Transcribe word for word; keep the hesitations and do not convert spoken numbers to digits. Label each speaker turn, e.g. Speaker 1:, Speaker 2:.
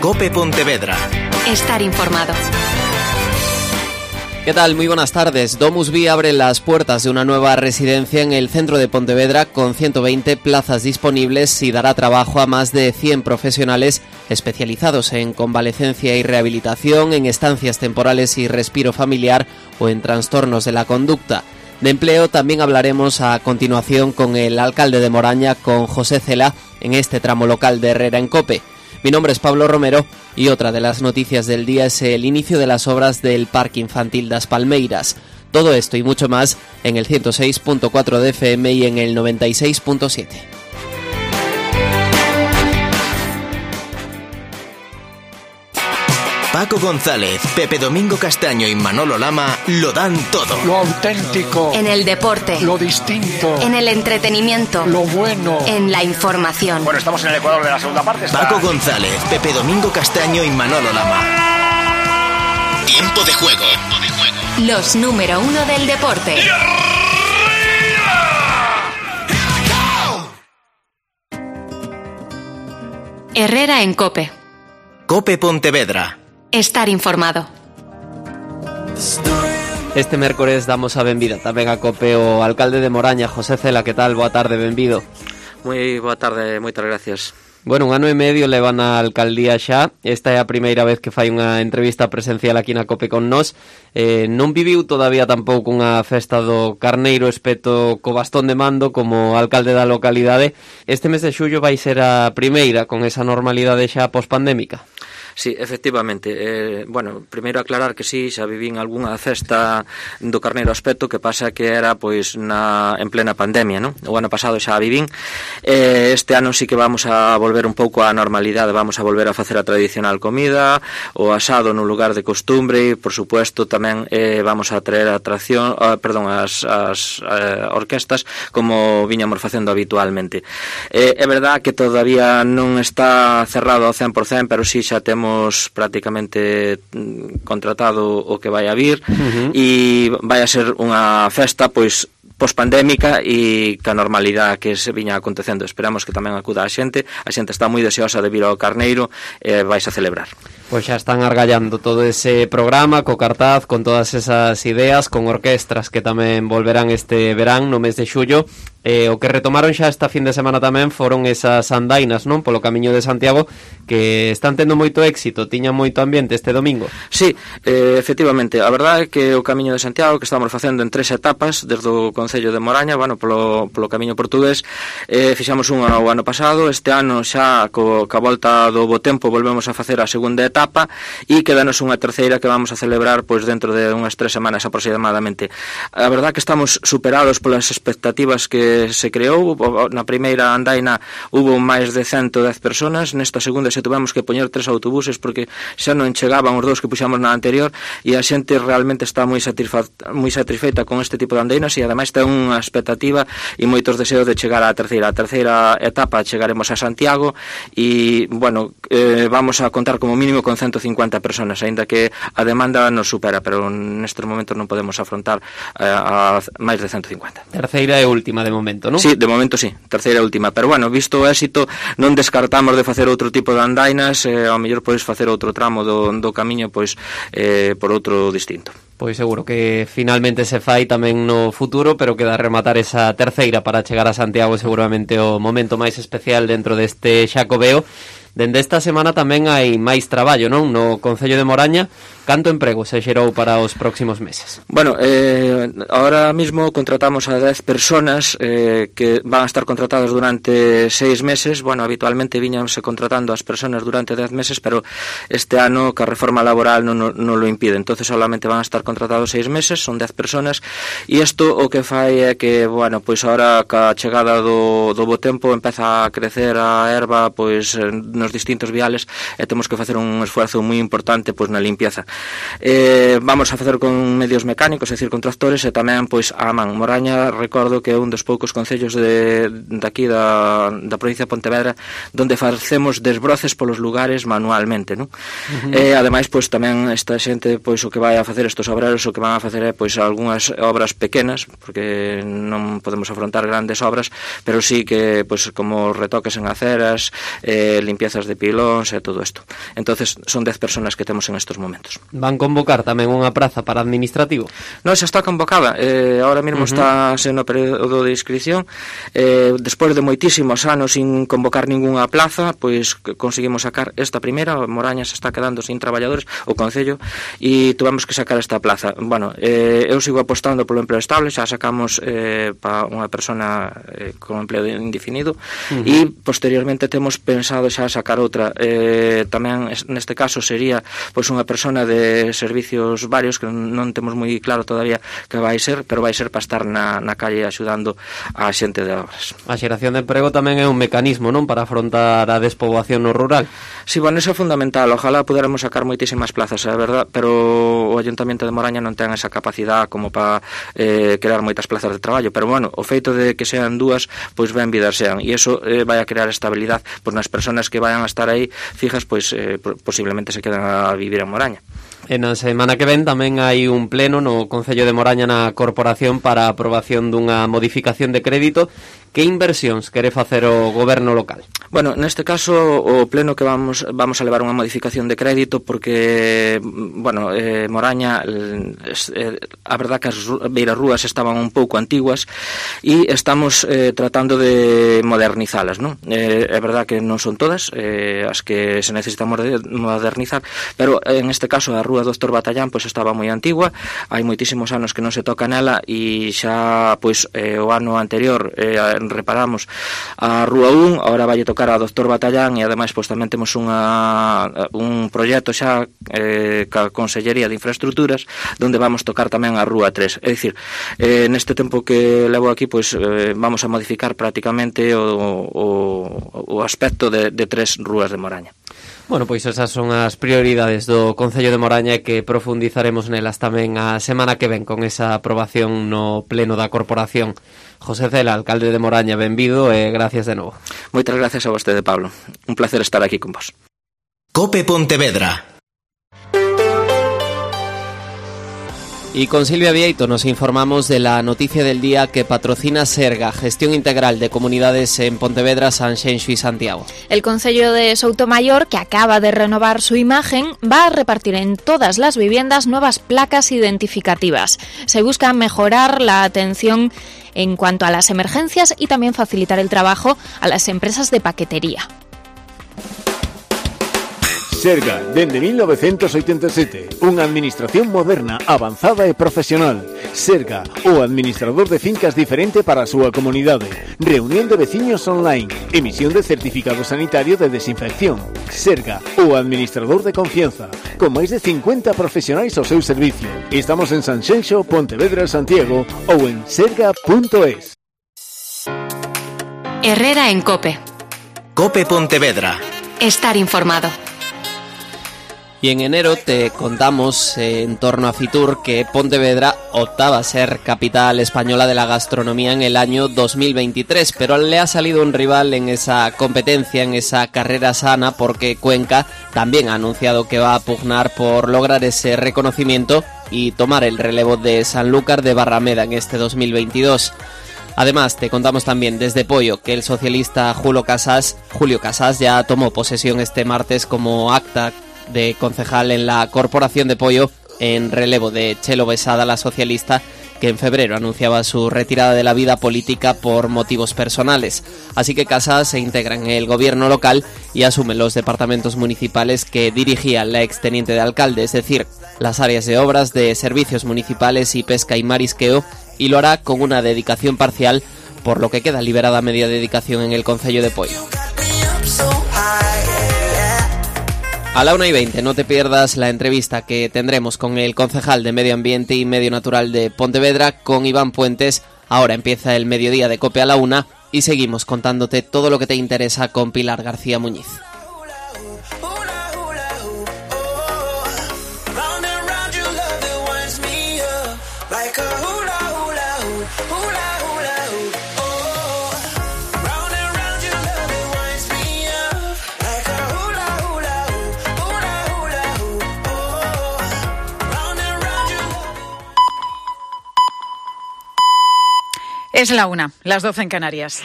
Speaker 1: COPE Pontevedra.
Speaker 2: Estar informado.
Speaker 3: ¿Qué tal? Muy buenas tardes. DomusVi abre las puertas de una nueva residencia en el centro de Pontevedra con ciento veinte plazas disponibles y dará trabajo a más de cien profesionales especializados en convalecencia y rehabilitación, en estancias temporales y respiro familiar o en trastornos de la conducta. De empleo también hablaremos a continuación con el alcalde de Moraña, con José Cela, en este tramo local de Herrera en COPE. Mi nombre es Pablo Romero y otra de las noticias del día es el inicio de las obras del Parque Infantil das Palmeiras. Todo esto y mucho más en el ciento seis punto cuatro de F M y en el noventa y seis punto siete.
Speaker 1: Paco González, Pepe Domingo Castaño y Manolo Lama lo dan todo.
Speaker 4: Lo auténtico.
Speaker 2: En el deporte.
Speaker 4: Lo distinto.
Speaker 2: En el entretenimiento.
Speaker 4: Lo bueno.
Speaker 2: En la información.
Speaker 5: Bueno, estamos en el Ecuador de la segunda parte. Está...
Speaker 1: Paco González, Pepe Domingo Castaño y Manolo Lama. Tiempo de juego. Tiempo de juego.
Speaker 2: Los número uno del deporte. Herrera en COPE.
Speaker 1: COPE Pontevedra.
Speaker 2: Estar informado.
Speaker 3: Este mércores damos a benvida tamén a COPE o alcalde de Moraña, José Cela. Que tal? Boa tarde, benvido.
Speaker 6: Moi boa tarde, moitas gracias.
Speaker 3: Bueno, un ano e medio leva na alcaldía xa. Esta é a primeira vez que fai unha entrevista presencial aquí na COPE con nós. Eh, non viviu todavía tampouco unha festa do Carneiro Espeto co bastón de mando como alcalde da localidade. Este mes de xullo vai ser a primeira con esa normalidade xa pospandémica.
Speaker 6: Sí, efectivamente. Eh, bueno, primeiro aclarar que sí, xa vivín algunha festa do Carneiro Aspecto, que pasa que era pois na en plena pandemia, non? O ano pasado xa a vivín. Eh, este ano sí que vamos a volver un pouco á normalidade, vamos a volver a facer a tradicional comida, o asado no lugar de costumbre, e, por supuesto, tamén eh, vamos a traer a atracción, ah, perdón, as, as eh, orquestas como viñamos facendo habitualmente. Eh, é verdad que todavía non está cerrado ao cen por cen, pero sí xa temos prácticamente contratado o que vai a vir, uh-huh. E vai a ser unha festa pois pospandémica e ca normalidade que se viña acontecendo. Esperamos que tamén acuda a xente. A xente está moi deseosa de vir ao Carneiro e eh, vais a celebrar.
Speaker 3: Pois xa están argallando todo ese programa co cartaz, con todas esas ideas, con orquestras que tamén volverán este verán no mes de xullo. Eh, o que retomaron xa esta fin de semana tamén foron esas andainas, non? Polo Camiño de Santiago, que están tendo moito éxito, tiñan moito ambiente este domingo.
Speaker 6: Sí, eh, efectivamente, a verdade é que o Camiño de Santiago, que estamos facendo en tres etapas, desde o Concello de Moraña, bueno, polo, polo Camiño Portugués, eh, fixamos unha o ano pasado, este ano xa co, ca volta do bo tempo volvemos a facer a segunda etapa e quedanos unha terceira que vamos a celebrar pois dentro de unhas tres semanas aproximadamente. A verdade é que estamos superados polas expectativas que se creou. Na primeira andaina hubo máis de ciento dez personas, nesta segunda se tuvemos que poñer tres autobuses porque xa non chegaban os dous que puxamos na anterior, e a xente realmente está moi satisfa- moi satisfeita con este tipo de andainas, e ademais ten unha expectativa e moitos deseos de chegar á terceira. A terceira etapa chegaremos a Santiago e, bueno, eh, vamos a contar como mínimo con ciento cincuenta personas, aínda que a demanda nos supera, pero nestes momentos non podemos afrontar eh, a máis de ciento cincuenta.
Speaker 3: Terceira e última de momento, non?
Speaker 6: Sí, de momento sí, terceira e última, pero bueno, visto o éxito non descartamos de facer outro tipo de andainas, eh, ao mellor podes facer outro tramo do, do camiño pois eh, por outro distinto.
Speaker 3: Pois seguro que finalmente se fai tamén no futuro, pero queda rematar esa terceira para chegar a Santiago, seguramente o momento máis especial dentro deste Xacobeo. Dende esta semana tamén hai máis traballo, non? No Concello de Moraña, canto emprego se xerou para os próximos meses?
Speaker 6: Bueno, eh, ahora mismo contratamos a dez personas eh, que van a estar contratadas durante seis meses. Bueno, habitualmente viñanse contratando as personas durante dez meses, pero este ano, que a reforma laboral non, non, non lo impide. Entonces solamente van a estar contratados seis meses, son dez personas, e isto o que fai é que, bueno, pois ahora ca chegada do, do bo tempo empeza a crecer a erva pois nos distintos viales e temos que facer un esfuerzo moi importante pois na limpieza. Eh, vamos a facer con medios mecánicos, é dicir, con tractores, e tamén pois a man. Moraña, recordo que é un dos poucos concellos de daqui da, da provincia de Pontevedra donde facemos desbroces polos lugares manualmente, non? Uh-huh. E ademais pois tamén esta xente pois o que vai a facer estos obreros, o que van a facer é pois algunhas obras pequenas, porque non podemos afrontar grandes obras, pero sí que pois como retoques en aceras, eh, limpieza pezas de pilóns e todo isto. Entonces son dez personas que temos en estes momentos.
Speaker 3: Van convocar tamén unha praza para administrativo?
Speaker 6: Non, xa está convocada, eh, ahora mesmo uh -huh. está no período de inscripción. Eh, despois de moitísimos anos sin convocar ningunha plaza, pois conseguimos sacar esta primeira. Moraña se está quedando sin traballadores, o Concello, e tuvemos que sacar esta plaza. Bueno, eh, eu sigo apostando polo empleo estable, xa sacamos eh, para unha persona eh, con empleo indefinido, uh -huh. e posteriormente temos pensado xa sacar outra. Eh, tamén neste caso sería pois unha persona de servicios varios, que non temos moi claro todavía que vai ser, pero vai ser para estar na, na calle axudando a xente de obras.
Speaker 3: A xeración de emprego tamén é un mecanismo, non, para afrontar a despoboación no rural?
Speaker 6: Si, sí, bueno, eso é fundamental. Ojalá puderamos sacar moitísimas plazas, é verdad, pero o Ayuntamiento de Moraña non ten esa capacidade como para eh, crear moitas plazas de traballo, pero bueno, o feito de que sean dúas, pois ben vidas sean, e iso eh, vai a crear estabilidade pois nas persoas que vayan a estar aí fijas, pois eh, posiblemente se quedan a vivir en Moraña.
Speaker 3: E na semana que ven tamén hai un pleno no Concello de Moraña na Corporación para a aprobación dunha modificación de crédito. Que inversións quere facer o goberno local?
Speaker 6: Bueno, neste caso o pleno que vamos vamos a levar unha modificación de crédito porque, bueno, eh, Moraña eh, a verdad que as beiras rúas estaban un pouco antiguas e estamos eh, tratando de modernizalas, non? Eh, é verdad que non son todas eh, as que se necesitan modernizar, pero en este caso a rúa Doctor Batallán pois estaba moi antigua, hai moitísimos anos que non se toca nela e xa pois eh, o ano anterior eh, reparamos a Rúa un, agora vai tocar a Doctor Batallán e ademais pois tamén temos unha, un proxecto xa eh, ca Consellería de Infraestructuras donde vamos tocar tamén a Rúa tres. É dicir, eh, neste tempo que levo aquí pois eh, vamos a modificar prácticamente o, o, o aspecto de, de tres rúas de Moraña.
Speaker 3: Bueno, pois esas son as prioridades do Concello de Moraña e que profundizaremos nelas tamén a semana que ven con esa aprobación no pleno da corporación. José Cela, alcalde de Moraña, benvido e gracias de novo.
Speaker 6: Moitas gracias a vostede, Pablo. Un placer estar aquí con vos.
Speaker 1: Cope Pontevedra.
Speaker 3: Y con Silvia Vieito nos informamos de la noticia del día que patrocina Serga, Gestión Integral de Comunidades en Pontevedra, Sanxenxo y Santiago.
Speaker 7: El Concello de Soutomayor, que acaba de renovar su imagen, va a repartir en todas las viviendas nuevas placas identificativas. Se busca mejorar la atención en cuanto a las emergencias y también facilitar el trabajo a las empresas de paquetería.
Speaker 8: Serga, dende mil novecentos oitenta e sete, unha administración moderna, avanzada e profesional. Serga, o administrador de fincas diferente para a súa comunidade. Reunión de veciños online, emisión de certificado sanitario de desinfección. Serga, o administrador de confianza, con máis de cincuenta profesionais ao seu servicio. Estamos en Sanxenxo, Pontevedra, Santiago ou en serga punto es.
Speaker 2: Herrera en Cope.
Speaker 1: Cope Pontevedra.
Speaker 2: Estar informado.
Speaker 3: Y en enero te contamos eh, en torno a Fitur que Pontevedra optaba a ser capital española de la gastronomía en el año dos mil veintitrés, pero le ha salido un rival en esa competencia, en esa carrera sana, porque Cuenca también ha anunciado que va a pugnar por lograr ese reconocimiento y tomar el relevo de Sanlúcar de Barrameda en este dos mil veintidós. Además, te contamos también desde Poio que el socialista Julio Casas, Julio Casas ya tomó posesión este martes como acta de concejal en la Corporación de Poio en relevo de Chelo Besada, la socialista, que en febrero anunciaba su retirada de la vida política por motivos personales. Así que Casas se integra en el gobierno local y asume los departamentos municipales que dirigía la exteniente de alcalde, es decir, las áreas de obras, de servicios municipales y pesca y marisqueo, y lo hará con una dedicación parcial, por lo que queda liberada media dedicación en el concello de Poio. A la una y veinte no te pierdas la entrevista que tendremos con el concejal de Medio Ambiente y Medio Natural de Pontevedra, con Iván Puentes. Ahora empieza el mediodía de Cope a la una y seguimos contándote todo lo que te interesa con Pilar García Muñiz.
Speaker 9: Es la una, las doce en Canarias.